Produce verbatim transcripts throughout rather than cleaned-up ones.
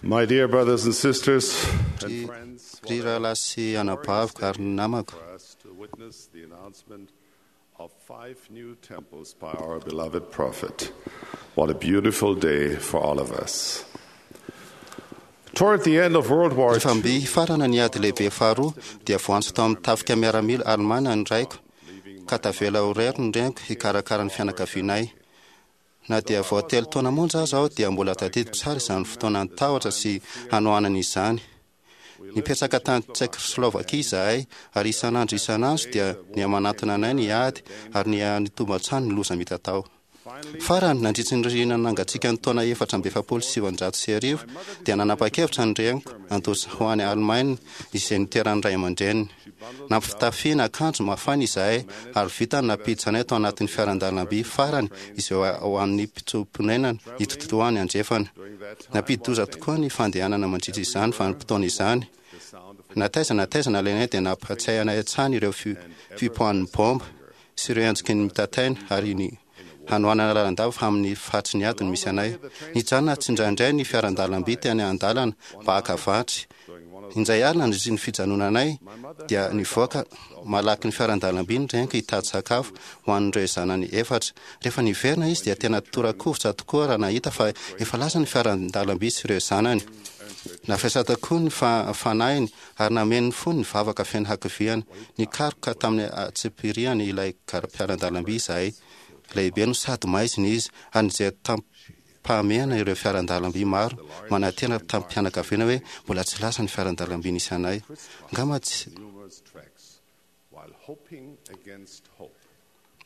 My dear brothers and sisters and friends, Ry rahalahy sy anabaviko ary ny namako, for us to witness the announcement of five new temples by our beloved prophet. What a beautiful day for all of us. Toward the end of World War rehefa II, mby hifarana ny ady lehibe faharoa dia voantso tao amin'ny tafika miaramila alemana ny raiko ka tavela ho irery ny reniko hikarakara ny fianakavianay. Na dia vao telo taona monja aza aho dia mbola tadidiko tsara izany fotoana nitahotra sy hanoanana izany. Nipetraka tany Tsekoslovakia izahay ary isan'andro isan'andro dia nihamanatona anay ny ady ary niha-nitombo hatrany ny loza mitatao. Farany, nandritry ny ririnina nangatsiaka ny taona efatra amby efapolo sy sivanjato sy arivo dia nanapa-kevitra ny reniko handositra ho any Alemaina izay niteran'ny ray aman-dreniny. Nampitafiana akanjo mafana izahay ary vita ny nampiditra anay tao anatin'ny fiaran-dalamby farany izay ho an'ny mpitsoa-ponenana hitototoany andrefana. Nampidi-doza tokoa ny fandehanana mandritra izany vanim-potoana izany. Na taiza na taiza nalainay dia nampahatsiahy anay hatrany ireo fi- fipoahan'ny bomba sy ireo endriky ny mitataina ary ny hanoanana lalandava fa amin'ny faritry ny ady no misy anay. Nijanona tsindraindray ny fiaran-dalamby teny an-dalana mba haka vatsy. Indray alina nandritry ny fijanonanay dia nivoaka malaky ny fiaran-dalamby ny reniko hitady sakafo ho an'ireo zanany efatra. Rehefa niverina izy dia tena torakovitra tokoa raha nahita fa efa lasa ny fiaran-dalamby sy ireo zanany. Nafesatra koa ny fa- fanahiny ary nameno ny fony ny vavaka feno hakiviana. Nikaroka tamin'ny antsipiriany ilay gar- mpiaran-dalamby izahay. Lehibe no sady maizina izy ary nijery tamim-pahamehana ireo fiaran-dalamby maro manantena tamim-pianakaviana hoe mbola tsy lasa ny fiaran-dalamby nisy anay. Angamba tsy numerous tracks, while hoping against hope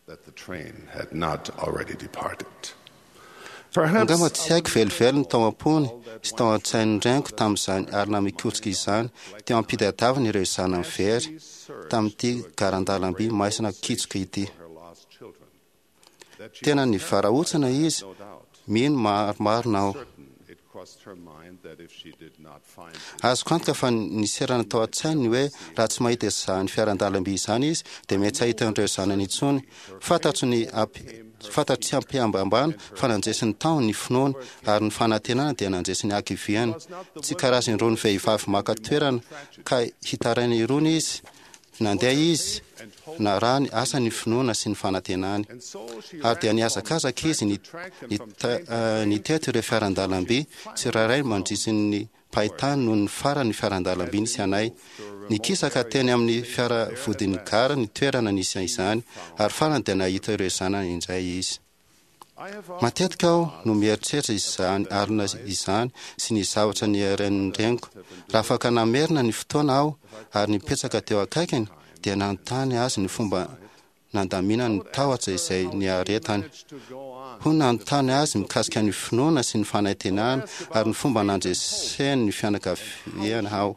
that the train had not already departed. Perhaps Angamba tsy haiko velively ny tao am-pony sy tao an-tsain'ny reniko tamin'izany alina mikotrika izany teo am-pitadiavana ireo zanany very tamin'ity garan-dalamby maizina kitsoka ity. her lost children, that she Tena nivarahontsana izy, no doubt, mino maromaro aho. certain it crossed her mind that if she did not find the Azoko antoka fa niserana tao an-tsainy ny hoe raha tsy mahita izany fiaran-dalamby izany izy dia mety tsy hahita an'ireo zanany intsony. Fantatro ny ampi- fantatro tsy ampihambahambana fa nandresy ny tahony ny finoany ary ny fanantenana dia nandresy ny hakiviany. Tsy karazany irony vehivavy maka toerana ka hitaraina irony izy. Nandeha izy narahany asa ny finoana sy ny fanantenany. And so she Ary dia ran nihazakazaka izy from ny- track to track them ny from ta- train to eh, train, nitety ireo fiaran-dalamby tsirairay mandritry ny pahitany noho ny farany fiaran-dalamby nisy anay. Nikisaka teny amin'ny fiara vodin'ny gara ny toerana nisy izany ary farany dia nahita ireo zanany indray izy. I have often Matetika aho no mieritreritra izany alina izany sy ny zavatra niaren'ny reniko. Raha afaka namerina ny fotoana aho ary nipetraka teo akaikiny dia nanontany azy ny fomba nandaminany ny tahotra izay niaretany. managed to go on Ho nanontany azy mikasika ny finoana sy ny fanantenana ary ny fomba nandreseny ny fianakaviana aho.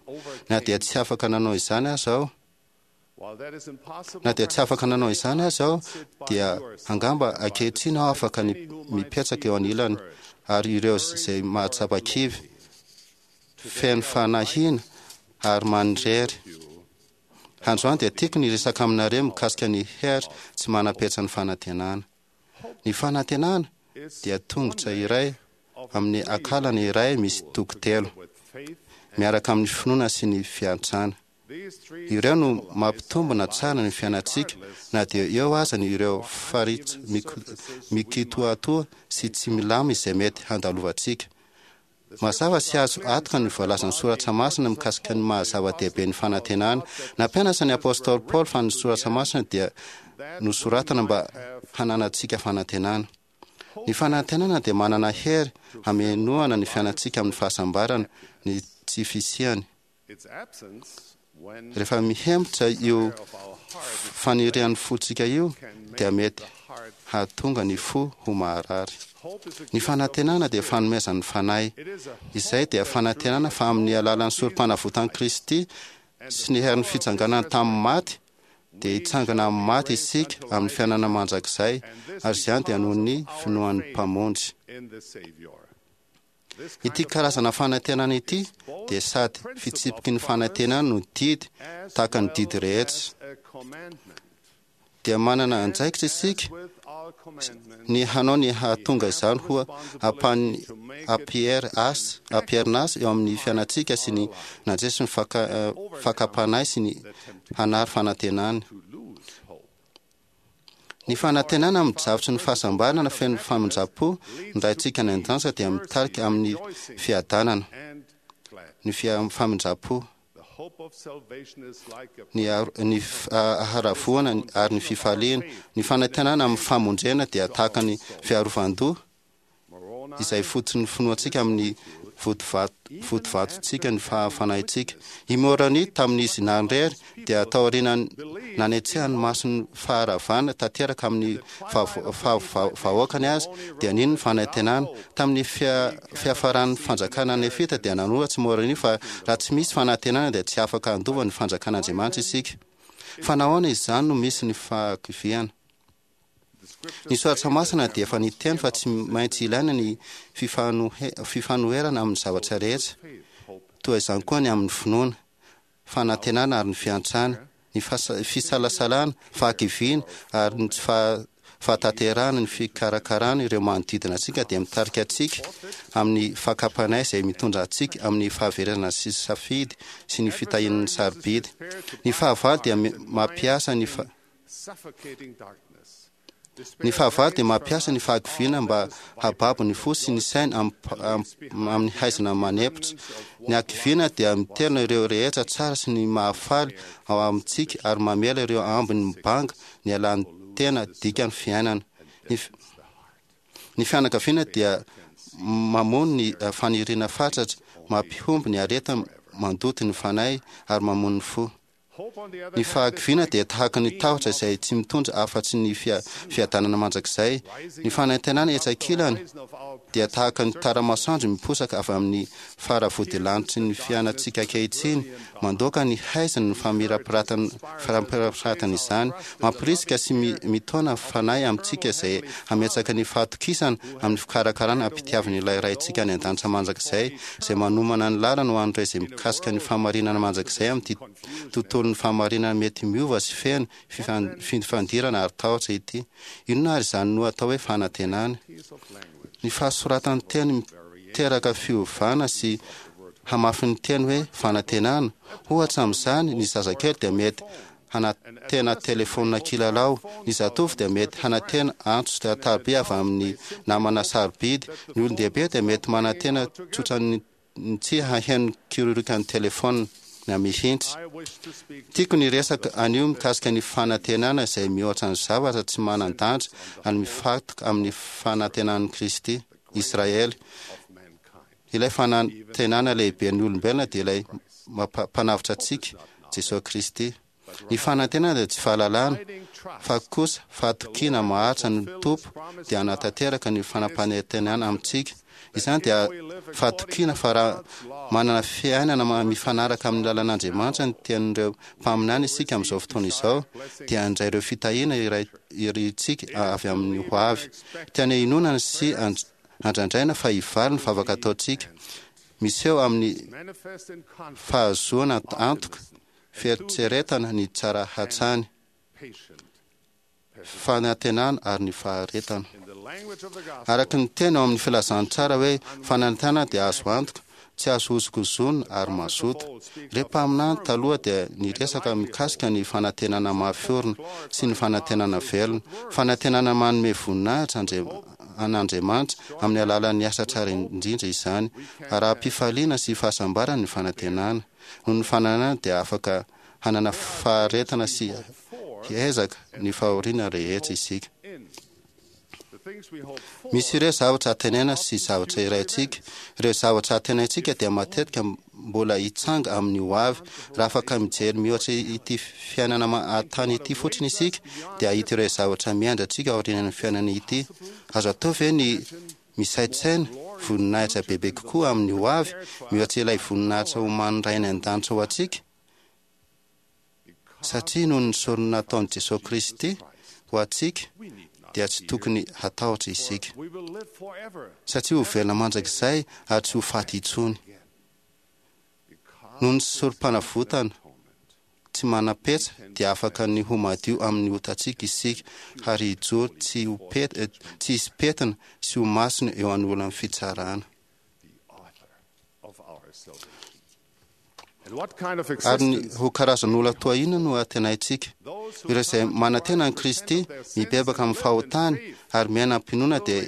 Na dia tsy afaka nanao izany aza aho, While that is impossible, na dia tsy afaka nanao izany aza aho, dia angamba ankehitriny aho afaka ny mipetraka eo anilany ary ireo izay mahatsapa kivy, feno fanahiana ary manirery. Androany dia tiako ny resaka aminareo mikasika ny hery tsy manam-petra ny fanantenana. Ny fanantenana dia tongotra iray amin'ny akalana iray misy toko telo, with faith, miaraka amin'ny finoana sy ny fiantrana. these three Ireo no mampitombina tsara ny fiainantsika na dia eo aza ny ireo faritra miko- mikitoatoa sy tsy milama izay mety handalovantsika. Mazava sy azo antoka ny voalazan'ny soratra masina mikasika ny maha-zava-dehibe ny fanantenana. Nampianatra ny apôstôly Paoly fa ny soratra masina dia nosoratana mba hananantsika fanantenana. Ny fanantenana dia manana hery hamenoana ny fiainantsika amin'ny fahasambarana, ny tsy fisiany. its absence when Rehefa mihemotra io of our heart fanirian'ny fontsika io dia mety the heart hahatonga ny fo ho maharary. hope is a Ny gift of fanantenana dia fanomezan'ny fanahy. it is a Izay dia fanantenana fa amin'ny alalan'ny sorom-panavotan'i Kristy sy ny herin'ny fitsanganana tamin'ny maty dia hitsangana amin'ny maty isika amin'ny fiainana mandrakizay ary izany dia noho ny finoan'ny Mpamonjy. in the Savior. This Ity karazana fanantenana ity dia sady fitsipiky ny fanantenana no didy as tahaka ny well didy rehetra. as a commandment. Dia manana andraikitra isika With our ny hanao ny hahatonga izany ho ampiherina azy eo amin'ny fiainantsika sy ny nandresy ny fakam-panahy sy ny hanary fanantenana. Ny fanantenana amin'ny zavatry ny fahasambarana feno famindram-po ny Raintsika any an-danitra dia mitarika amin'ny fiadanana, ny famindram-po, ny ny haravoana ary ny fifaliana. Ny fanantenana amin'ny famonjena dia tahaka ny fiarovan-doha izay fototry ny finoantsika amin'ny vodivatontsika ny fanahintsika. I Moroni tamin'izy nanirery dia taoriana nanetsehany mason'ny faharavana tanteraka amin'ny vahoakany azy dia nino ny fanantenana. Tamin'ny fiafaran'ny fanjakana nefita dia nanoratsy Moroni fa raha tsy misy fanantenana dia tsy afaka handova ny fanjakan'Andriamanitra isika. Fa nahoana izany no misy ny fahakiviana? Ny soratra masina dia efa niteny fa tsy maintsy ilaina ny fifanoherana amin'ny zavatra rehetra, toa izany koa ny amin'ny finoana, fanantenana ary ny fiantrana, ny fisalasalana, fahakiviana ary ny tsy fahatanterahana. Ny fikarakarana ireo manodidina antsika dia mitarika antsika amin'ny fakam-panahy izay mitondra antsika amin'ny fahaverezana sy safidy sy ny fitahian'ny sarobidy. Ny fahavalo dia mampiasa ny ny fahavalo dia mampiasa ny fahakiviana mba hababo ny fo sy ny saina amin'ny haizina manempotra. Ny hakiviana dia miterina ireo rehetra tsara sy ny mahafaly ao amintsika ary mamela ireo ambiny mibanga ny alan'ny tena dikan'ny fiainana. Ny ny fianakaviana dia mamono ny faniriana fatratra, mampihombo ny aretina mandoto ny fanahy ary mamono ny fo. Ny fahakiviana dia tahaka ny tahotra izay tsy mitondra afa-tsy ny fiadanana mandrakizay. Ny fanantenana etsy ankilany dia tahaka ny tara-masoandro miposaka avy amin'ny faravodilanitry ny fiainantsika ankehitriny, mandoaka ny haizina ny famirapiratan'izany, mampirisika sy mitaona fanahy amintsika izay hametraka ny fahatokisana amin'ny fikarakarana ampitiavan'ilay Raintsika any an-danitra mandrakizay, izay manomana ny lalana ho an'ireo izay mikasika ny fahamarinana mandrakizay amin'ity tontolon'ny fahamarinana mety miova sy feno fifandirana ary tahotra ity. Inona ary izany no atao hoe fanantenana? Ny fahasoratan'ny teny miteraka fiovana sy hamafin'ny teny hoe fanantenana. Ohatra amin'izany, ny zazakely dia mety hanantena telefônina kilalao, ny zatovo dia mety hanantena antso tariby avy amin'ny namana sarobidy, ny olon-dehibe dia mety manantena tsotra ny tsy haheno kirorokan'ny telefônina na mihitsy. Tiako ny resaka anio mikasika ny fanantenana izay mihoatra ny zavatra tsy manan-danja ary mifantoka amin'ny fanantenan'i Kristy Israely. Ilay fanantenana lehibe ny olombelona dia ilay mpanavotra antsika, Jesosy Kristy. Ny fanantenana dia tsy fahalalana, fa kosa fahatokiana maharitra ny Tompo dia hanatanteraka ny fanampanantenana amintsika. Izany dia fahatokiana fa raha manana fiainana mifanaraka amin'ny lalan'Andriamanitra ny tenin'ireo mpaminany isika amin'izao fotoana izao, dia handray ireo fitahiana iray irintsika avy amin'ny ho avy. Tiana inoana sy andrandraina fa hivaly ny vavaka ataontsika. Miseho amin'ny fahazoana antoka, fieritreretana ny tsara hatrany, fanantenana ary ny faharetana. Araka ny teny ao amin'ny filazantsara hoe fanantenana dia azo antoka, tsy azo hozongozonina ary mazoto. Ireo mpaminany taloha dia niresaka mikasika ny fanantenana mafy orina sy ny fanantenana velona. Fanantenana manome voninahitra an'Andriamanitra amin'ny alalan'ny asa tsara indrindra izany. Ara-pifaliana sy fahasambarana ny fanantenana. Noho ny fananana dia afaka hanana faharetana sy hiezaka ny fahoriana rehetra isika. Misy ireo zavatra antenaina sy zavatra iraintsika. Ireo zavatra antenaintsika dia matetika mbola hitsanga amin'ny ho avy. Raha afaka mijery mihoatra ity fiainana an-tany ity fotsiny isika, dia hahita ireo zavatra miandry antsika aorian'ny fiainana ity. Azo atao ve ny misaintsaina voninahitra bebe kokoa amin'ny ho avy mihoatra ilay voninahitra omanin'ny Ray any an-danitra ho antsika? Satria noho ny sorona nataon'i Jesosy Kristy ho antsika dia tsy tokony hatahotra isika, satria ho velona mandrakizay ary tsy ho faty intsony. Noho ny sorom-panavotana tsy manam-petra dia afaka ny ho madio amin'ny otantsika isika ary hijoro tsy ho pet- eh, tsy hisy pentina sy ho masina eo anoloan'ny fitsarana. The author of our salvation. And what kind of Ary ny existence ho karazan'olona toa inona no antenaintsika? those who Ireo izay come to manantena an'i Christ, Kristy, repent of their sins mibebaka and amin'ny live in fahotany faith, ary miaina am-pinoana dia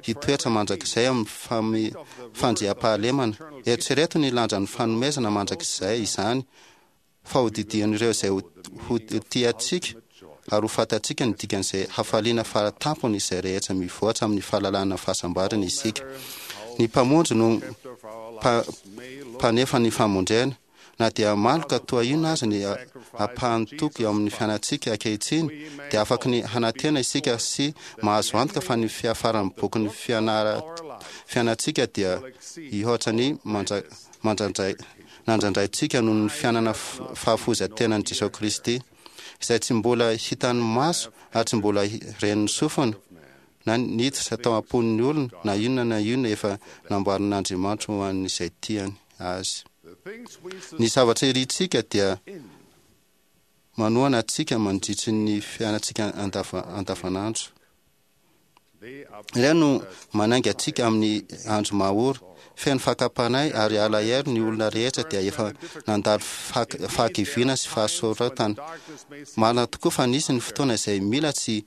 hitoetra mandrakizay amin'ny fami- fandriampahalemana. Eritrereto ny lanjan'ny fanomezana mandrakizay izany, fa ho didian'ireo izay ho ho tiantsika ary ho fantatsika ny dikan'izay hafaliana faratampony izay rehetra mivoatra amin'ny fahalalana fahasambarana isika. Ny Mpamonjy no chapter of our pa- lives may look mpanefa ny famonjena. Na dia maloka toa inona aza ny ampahan'ny toko eo amin'ny fiainantsika ankehitriny, dia afaka ny hanantena isika sy mahazo antoka fa ny fiafaran'ny bokin'ny fianara fiainantsika dia hihoatra ny mandra- mandrandray nandrandraintsika noho ny fiainana f- fahafoizan-tenan'i Jesosy Kristy, izay tsy mbola hitan'ny maso ary tsy mbola hi- ren'ny sofina na niditra tao am-pon'ny olona na inona na inona efa namboarin'Andriamanitra ho an'izay tiany azy. the things we Ny zavatra irintsika dia in manohana antsika mandritry ny fiainantsika andava- andavanandro. they are Ireo no manainga antsika amin'ny andro mahory, feno fakam-panahy ary alahelo ny olona rehetra dia efa nandalo fak- fahakiviana sy fahasoratana. darkness may seem Marina tokoa fa nisy ny fotoana izay mila tsy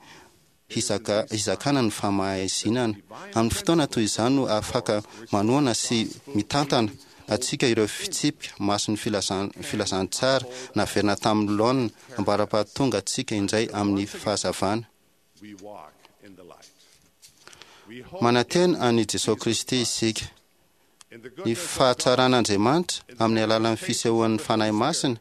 hizaka hizakana ny famaizinana. Amin'ny fotoana toy izany no afaka manohana sy mitantana antsika ireo fitsipika masin'ny filazan- filazantsara naverina tamin'ny laonina ambara-pahatonga antsika indray amin'ny fahazavana. we walk in the light. We hope Manantena an'i Jesosy Kristy isika. in the Ny goodness of God, fahatsaran'Andriamanitra amin'ny alalan'ny fisehoan'ny Fanahy Masina,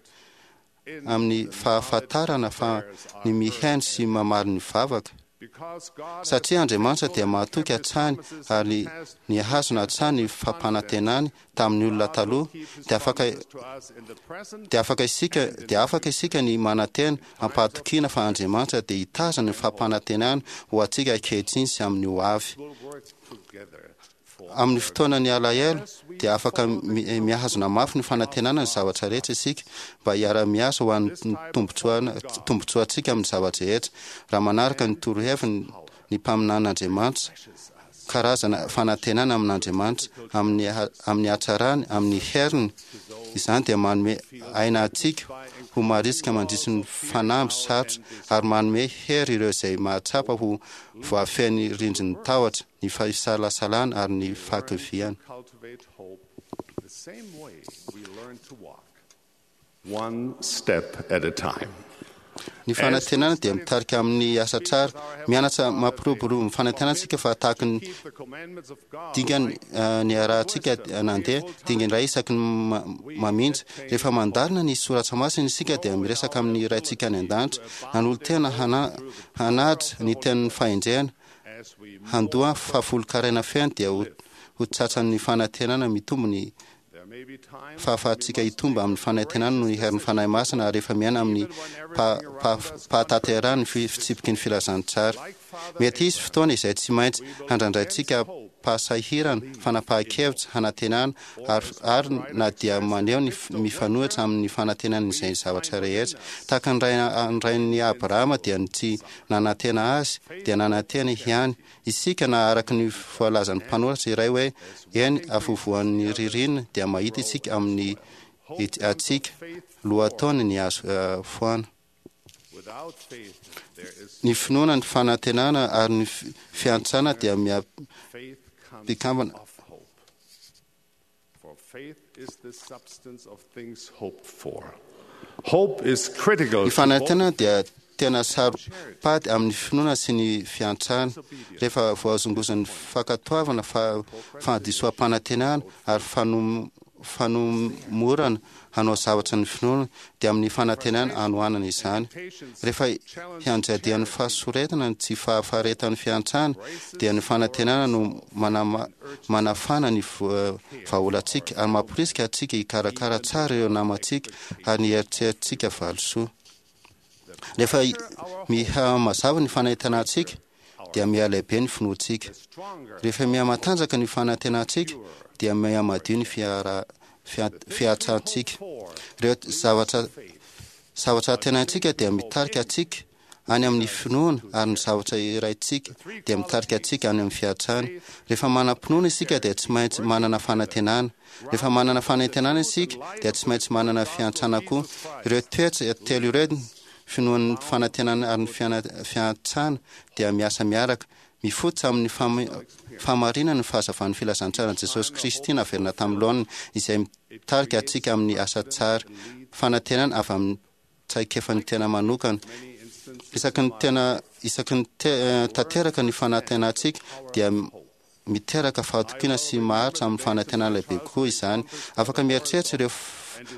in amin'ny the fahafantarana fa ny mihaino sy mamaly ny vavaka. because God has Satria Andriamanitra dia mahatoky hatrany promises in ary the past, nihazona hatrany ny fampanantenany tamin'ny olona God will taloha, keep his dia afaka promises to us in the present dia afaka isika dia afaka isika ny manantena ampahatokiana fa Andriamanitra dia hitazona ny fampanantenany ho antsika ankehitriny sy amin'ny ho avy. will work together for Amin'ny fotoana ny alahelo dia afaka mi- mihazona mafy ny fanantenana ny zavatra rehetra isika mba hiara-miasa ho an'ny tombontsoana- tombontsoantsika amin'ny zavatra rehetra. Raha manaraka ny toroheviny ny mpaminan'Andriamanitra, karazana fanantenana amin'Andriamanitra, amin'ny ha- amin'ny hatsarany, amin'ny heriny, izany dia manome aina antsika ho marisika mandritry ny fanamby sarotra ary manome hery ireo izay mahatsapa ho voafehy rindrin'ny tahotra, ny fisalasalana ary ny fahakiviana. cultivate hope the same way we learn to walk, one step at a time. Ny fanantenana dia mitarika amin'ny asa tsara. Mianatra mampiroborobo ny fanantenana isika fa tahaka ny Keep the commandments of God dingany like eh, niarahantsika nandeha dingana iray isaky ny ma- maminja. Rehefa mandalina ny soratra masina isika dia miresaka amin'ny Raintsika any an-danitra, nanolo-tena hana- hanaja ny tenin'ny fahendrena, as we handoa fahafolonkarena feno dia ho ho tratran'ny fanantenana mitombo ny there may be times fahafahantsika hitombo amin'ny fanantenana noho ny herin'ny Fanahy Masina ary rehefa miaina amin'ny pa- pa- pahatanterahany fi- fitsipiky ny filazantsara. like Father Mety hisy fotoana izay tsy maintsy handrandraintsika fahasahirana, fanapahan-kevitra, hanantenana ary, ary na dia maneho ny f- mifanohitra amin'ny fanantenana izay zavatra rehetra. Tahaka ny ray- ny rain'i Abrahama dia ny tsy nanantena azy dia nanantena ihany. Isika na araka ny voalazan'ny mpanoratra iray hoe eny afovoan'ny ririnina dia mahita isika amin'ny antsika lohataona ny azo eh, foana. without faith there is Ny finoana, ny fanantenana ary ny fi- fiantrana dia mia- faith comes Mpikambana. of hope. For faith is the substance of things hoped for. Hope is critical Ny to fanantenana both dia tena saro-pady amin'ny finoana sy ny fiantrana. Rehefa voazongozan'ny fankatoavana, fa fahadisoam-panantenana ary fanom- fanomorana hanao zavatra ny finoana dia amin'ny fanantenana anohanana izany. Rehefa hianjadian'ny fahasoretana ny tsy fahafaretan'ny fiantrana dia ny fanantenana no manama- manafana ny vo- vahaolantsika ary mamporisika antsika hikarakara tsara ireo namantsika ary ny eritreritsika valisoa. Rehefa miha mazava ny fanantenantsika dia mihalehibe ny finoantsika. stronger Rehefa mihamatanjaka ny fanantenantsika dia mihamadio ny fiara- fia- fiantrantsika. for Ireo zavatra faith Zavatra antenaintsika dia mitarika antsika any amin'ny finoana, ary ny zavatra iraintsika dia mitarika antsika any amin'ny fiantrana. Rehefa manam-pinoana isika dia tsy maintsy manana fanantenana. Rehefa manana fanantenana isika dia tsy maintsy manana fiantrana koa. Ireo toetra telo ireo, finoan'ny fanantenana ary ny fiantrana, dia miasa miaraka. Mifototra amin'ny fahamarinana ny fahazavan'ny filazantsaran'i Jesosy Kristy naverina tamin'ny laoniny, izay mitarika antsika amin'ny asa tsara. Fanantenana avy amin'ny traikefan'ny tena manokana. Isaky ny tena isaky ny tanteraka ny fanantenantsika dia miteraka fahatokiana sy maharitra amin'ny fanantenana lehibe kokoa izany. Afaka mieritreritra ireo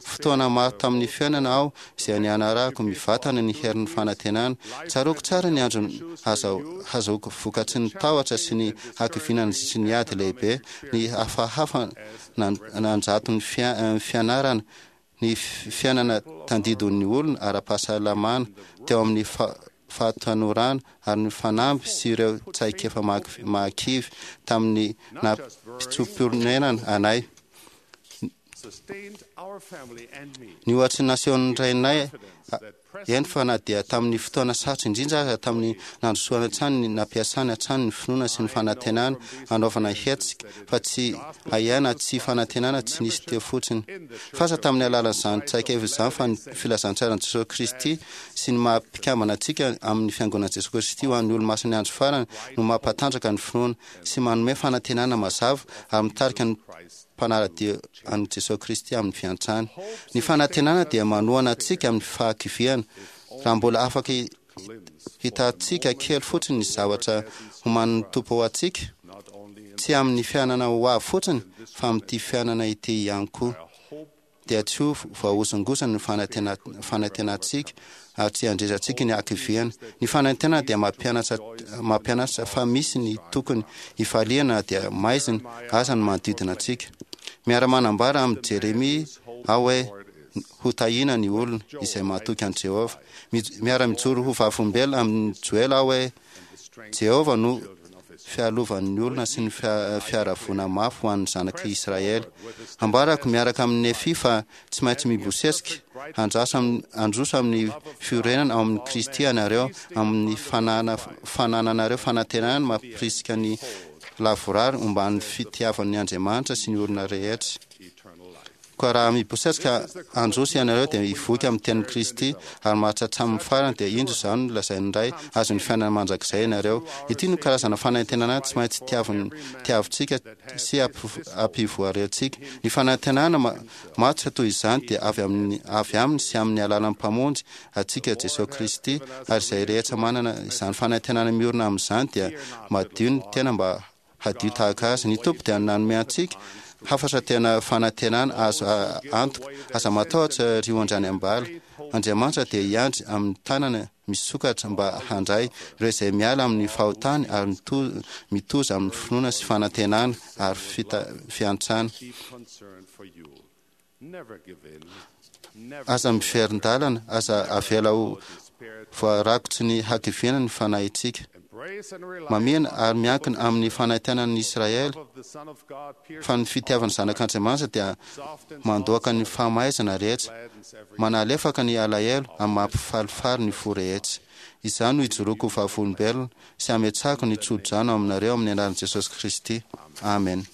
fotoana maro tamin'ny fiainana aho izay nianarako mivantana ny herin'ny fanantenana. Tsaroako tsara ny andro hazahoako vokatry ny tahotra sy ny hakiviana nandritry ny ady lehibe, ny hafahafa nanjato ny fianarana, ny fiainana tandindon'ny olona ara-pahasalamana teo amin'ny fahatanorana, ary ny fanamby sy ireo traikefa mahakivy tamin'ny nampitsoa-ponenana anay. Ny ohatry ny nasehon'ny rainay, eny fa na dia tamin'ny fotoana sarotra indrindra aza, tamin'ny nandrosoany hatrany ny nampiasany hatrany ny finoana sy ny fanantenana hanaovana hetsika, fa tsy ahiana tsy fanantenana tsy nisy teo fotsiny. Fasa tamin'ny alalan'izany traikefa izany fa ny filazantsaran'i Jesosy Kristy sy ny maha mpikambana antsika amin'ny Fiangonan'i Jesosy Kristy ho an'ny Olomasin'ny Andro Farany no mampatanjaka ny finoana sy manome fanantenana mazava ary mitarika ny mpanara-dia an'i Jesosy Kristy amin'ny fiantrana. Ny fanantenana dia manohana antsika amin'ny fahakiviana. Raha mbola afaka hitantsika kely fotsiny ny zavatra homanin'ny Tompo ho antsika, tsy amin'ny fiainana ho avy fotsiny fa amin'ity fiainana ity ihany koa, dia tsy ho voahozongozona ny fanantenantsika ary tsy handrezantsika ny hakiviana. Ny fanantenana dia mampianatra mampianatra fa misy ny tokony hifaliana na dia maizina aza ny manodidina antsika. Miara-manambara amin'i Jeremia aho hoe hotahiana ny olona izay matoky an'i Jehovah. Miara-mijoro ho vavolombelona amin'i Joela aho hoe Jehovah no fialovan'ny olona sy ny fiaravoana mafy ho an'ny zanak'i Israely. Ambarako miaraka amin'i Nefia fa tsy maintsy mibosesika handrasa handroso amin'ny fiorenana ao amin'i Kristy ianareo, amin'ny fanana fanananareo fanantenana mampirisika ny lavorary omban'ny fitiavan'ny Andriamanitra sy ny olona rehetra. Koa raha mibosesika handroso ianareo dia hivoky amin'ny tenin'i Kristy ary maharitra hatramin'ny farany, dia indro izany no lazain'ny Ray, azon'ny fiainana mandrakizay ianareo. Ity no karazana fanantenana tsy maintsy tiavin tiavintsika sy ampivoarentsika. Ny fanantenana matotra toy izany dia avy amin'ny avy aminy sy amin'ny alalan'ny Mpamonjy antsika Jesosy Kristy, ary izay rehetra manana izany fanantenana miorina amin'izany dia madio ny tena mba hadio tahaka azy. Ny Tompo dia nanome antsika hafatra tena fanantenana azo antoka. Aza matahotra ry ondry any am-bala. Andriamanitra dia hiandry amin'ny tanana misokatra mba handray ireo izay miala amin'ny fahotany ary mitoza amin'ny finoana sy fanantenana ary fiantrana. Aza miverin-dalana, aza avela ho voarakotry ny hakiviana ny fanahintsika. Mamihina ary miankina amin'ny fanaintainan'ny Israely fa ny fitiavan'ny Zanak'Andriamanitra dia mandoaka ny fahamaizana rehetra, manalefaka ny alahelo ary mampifalifaly ny fo rehetra. Izany no ijoroako ho vavolombelona sy ametrahako ny tso-drano aminareo amin'ny anaran'i Jesosy Kristy. Amen.